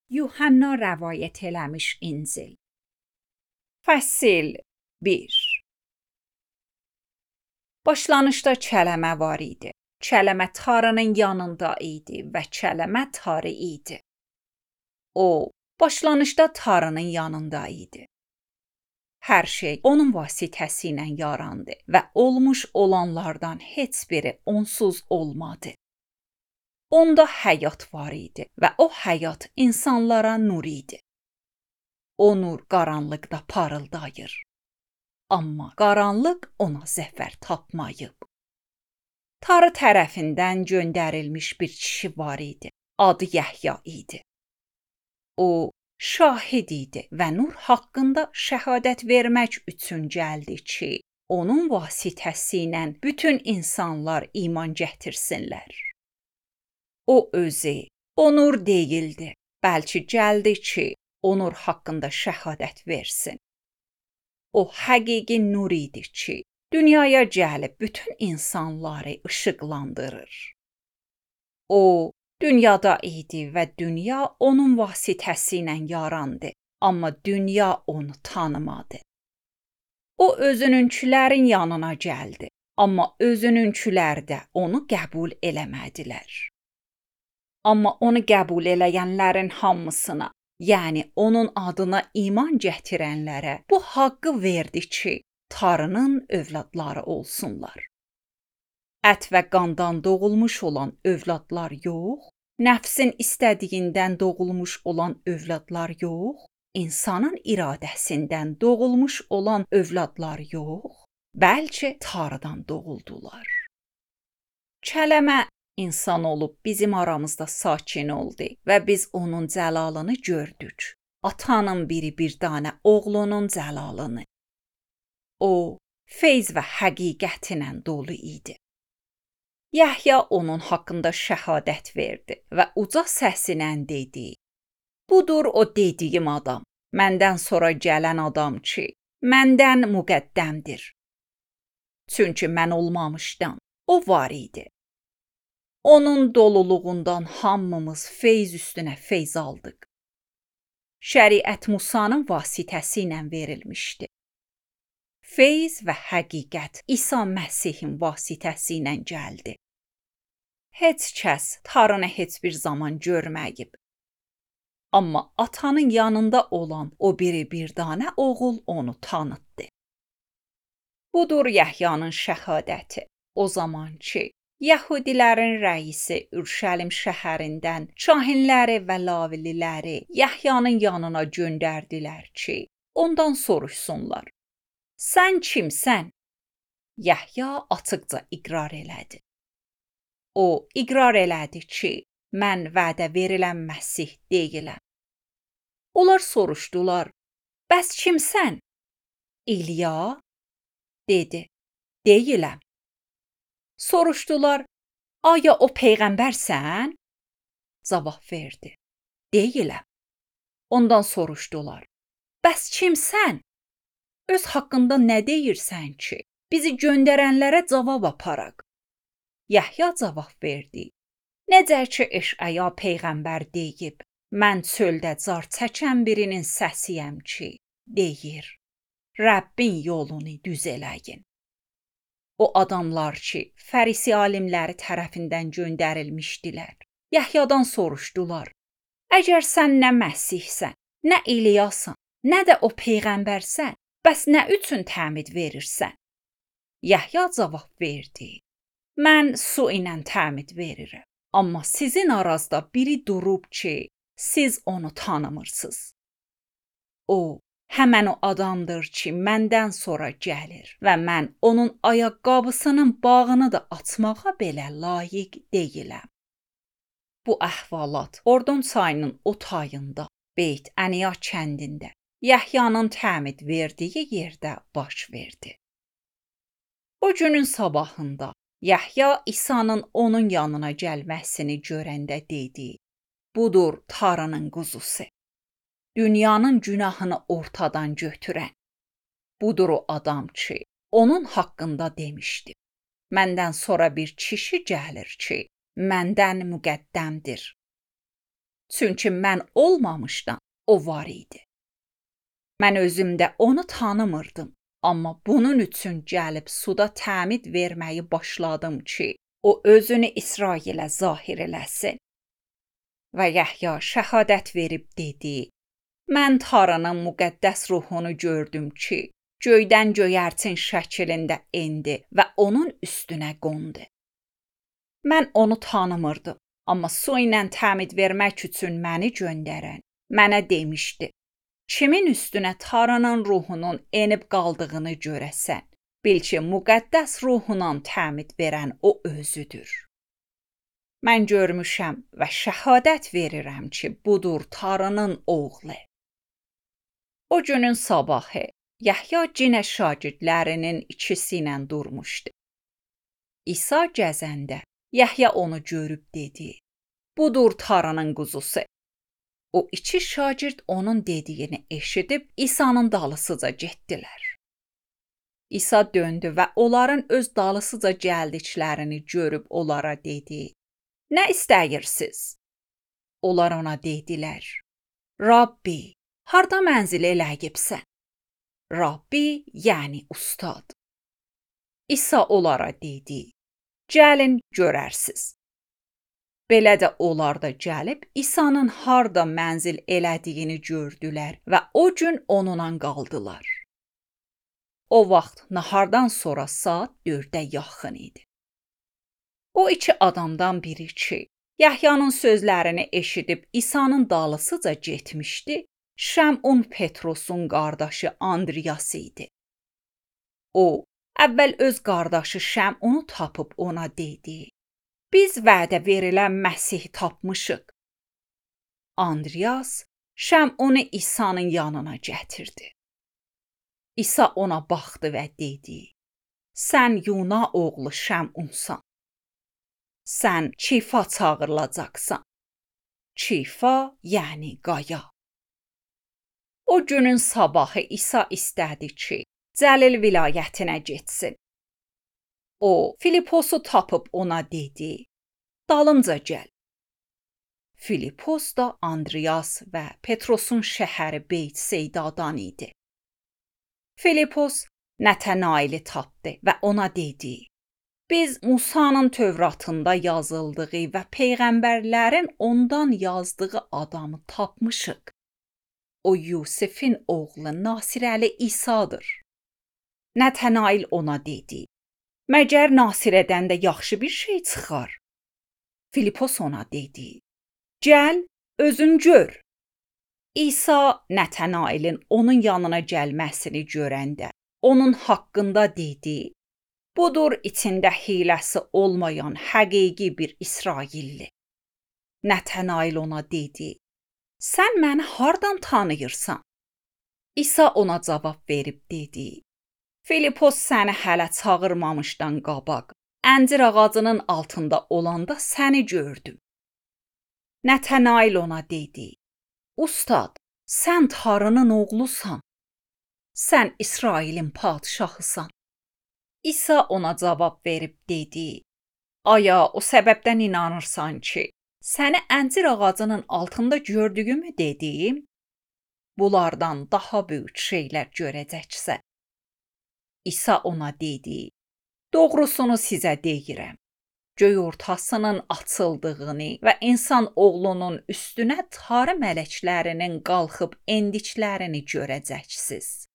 Yuhanna rəvayət eləmiş İncil. Fəsil 1. Başlanışda kələmə var idi. Kələmə Tanrının yanında idi və kələmə Tanrı idi. O, başlanışda Tanrının yanında idi. Hər şey onun vasitəsilə yarandı və olmuş olanlardan heç biri onsuz olmadı. Onda həyat var idi və o həyat insanlara nur idi. O nur qaranlıqda parıldayır. Amma qaranlıq ona zəfər tapmayıb. Tanrı tərəfindən göndərilmiş bir kişi var idi. Adı Yəhya idi. O, şahid idi və nur haqqında şəhadət vermək üçün gəldi ki, onun vasitəsilə bütün insanlar iman gətirsinlər. O özü, o nur deyildi, bəlkə gəldi ki, o nur haqqında şəhadət versin. O həqiqi nur idi ki, dünyaya gəlib bütün insanları işıqlandırır. O, dünyada idi və dünya onun vasitəsilə yarandı, amma dünya onu tanımadı. O özününkilərin yanına gəldi, amma özününkilər də onu qəbul eləmədilər. Amma onu qəbul eləyənlərin hamısına, yəni onun adına iman gətirənlərə bu haqqı verdi ki, Tanrının övladları olsunlar. Ət və qandan doğulmuş olan övladlar yox, nəfsin istədiyindən doğulmuş olan övladlar yox, insanın iradəsindən doğulmuş olan övladlar yox, bəlkə Tanrıdan doğuldular. Kələmə insan olub bizim aramızda sakin oldu və biz onun cəlalını gördük. Atanın biri bir dənə oğlunun cəlalını. O, feyz və həqiqətlə dolu idi. Yəhya onun haqqında şəhadət verdi və uca səslə dedi: Budur o dediyim adam, məndən sonra gələn adam ki, məndən müqəddəmdir. Çünki mən olmamışdan o var idi. Onun doluluğundan hamımız feyz üstünə feyz aldıq. Şəriət Musanın vasitəsilə verilmişdi. Feyz və həqiqət İsa Məsihin vasitəsilə gəldi. Heç kəs Tanrını heç bir zaman görməyib. Amma atanın yanında olan o biri bir dənə oğul onu tanıtdı. Budur Yəhyanın şəhadəti. O zaman ki, Yəhudilərin rəisi Ürşəlim şəhərindən kahinləri və lavililəri Yəhyanın yanına göndərdilər ki, ondan soruşsunlar. Sən kimsən? Yəhya açıqca iqrar elədi. O, iqrar elədi ki, mən vədə verilən Məsih deyiləm. Onlar soruşdular, bəs kimsən? İlya? Dedi, deyiləm. Soruşdular, aya o peyğəmbərsən? Cavab verdi, deyiləm. Ondan soruşdular, bəs kimsən? Öz haqqında nə deyirsən ki, bizi göndərənlərə cavab aparaq? Yəhya cavab verdi, necə ki Eşaya peyğəmbər deyib, mən çöldə car çəkən birinin səsiyəm ki, deyir, Rəbbin yolunu düz eləyin. O adamlar ki, fərisi alimləri tərəfindən göndərilmişdilər, Yəhyadan soruşdular, əgər sən nə Məsihsən, nə İlyasan, nə də o peyğəmbərsən, bəs nə üçün təmid verirsən? Yəhya cavab verdi, mən su ilə təmid verirəm, amma sizin arazda biri durub ki, siz onu tanımırsınız. O, həmən o adamdır ki, məndən sonra gəlir və mən onun ayaqqabısının bağını da açmağa belə layiq deyiləm. Bu əhvalat Ordon çayının o tayında, Beyt Əniya kəndində, Yəhyanın təmid verdiyi yerdə baş verdi. O günün sabahında Yəhya İsa'nın onun yanına gəlməsini görəndə dedi, budur Tanrının quzusu. Dünyanın günahını ortadan götürən. Budur o adam ki, onun haqqında demişdi. Məndən sonra bir kişi gəlir ki, məndən müqəddəmdir. Çünki mən olmamışdan o var idi. Mən özümdə onu tanımırdım, amma bunun üçün gəlib suda təmid verməyi başladım ki, o özünü İsrailə zahir eləsin. Və Yəhya şəhadət verib dedi: Mən Tanrının müqəddəs ruhunu gördüm ki, göydən göyərçin şəklində endi və onun üstünə qondu. Mən onu tanımırdım, amma su ilə təmid vermək üçün məni göndərən mənə demişdi: Kimin üstünə Tanrının ruhunun enib qaldığını görəsən, bil ki, müqəddəs ruhuna təmid verən o özüdür. Mən görmüşəm və şəhadət verirəm ki, budur Tanrının oğlu. O günün sabahı Yəhya yenə şagirdlərinin ikisi ilə durmuşdu. İsa gəzəndə Yəhya onu görüb dedi: Budur Tanrının quzusu. O iki şagird onun dediyini eşidib İsa'nın dalısıca getdilər. İsa döndü və onların öz dalısıca gəldiklərini görüb onlara dedi: Nə istəyirsiniz? Onlar ona dedilər: Rabbi, harda mənzil eləyibsən? Rabbi, yəni ustad. İsa onlara dedi: Gəlin görərsiniz. Belə də onlar da gəlib İsa'nın harda mənzil elədiyini gördülər və o gün onunla qaldılar. O vaxt nahardan sonra saat 4-ə yaxın idi. O iki adamdan biri ki, Yəhyanın sözlərini eşidib İsa'nın dalısıca getmişdi, Şəmun Petrosun qardaşı Andriyas idi. O, əvvəl öz qardaşı Şəmunu tapıb ona dedi: Biz vədə verilən Məsihi tapmışıq. Andriyas Şəmunu İsa'nın yanına gətirdi. İsa ona baxdı və dedi: Sən Yuna oğlu Şəmunsan. Sən Kifa çağırılacaqsan. Kifa, yəni qaya. O günün sabahı İsa istədi ki, Cəlil vilayətinə getsin. O, Filiposu tapıb ona dedi: Dalımca gəl. Filipos da Andriyas və Petrosun şəhəri Beytseydadan idi. Filipos Nətanaili tapdı və ona dedi: Biz Musanın Tövratında yazıldığı və peyğəmbərlərin ondan yazdığı adamı tapmışıq. O Yusifin oğlu Nasirəli İsa'dır. Nətanail ona dedi: Məgər Nasirədən də yaxşı bir şey çıxar? Filipos ona dedi: Gəl, özün gör. İsa Nətanailin onun yanına gəlməsini görəndə onun haqqında dedi: Budur içində hiləsi olmayan həqiqi bir İsrailli. Nətanail ona dedi: Sən məni hardan tanıyırsan? İsa ona cavab verib dedi: Filipos səni hələ çağırmamışdan qabaq, əncir ağacının altında olanda səni gördüm. Nətanail ona dedi: Ustad, sən Tanrının oğlusan. Sən İsrailin padşahısan. İsa ona cavab verib dedi: Aya o səbəbdən inanırsan ki, səni əncir ağacının altında gördüyümü dedim? Bunlardan daha böyük şeylər görəcəksən. İsa ona dedi: Doğrusunu sizə deyirəm. Göy ortasının açıldığını və insan oğlunun üstünə Tanrı mələklərinin qalxıb endiklərini görəcəksiniz.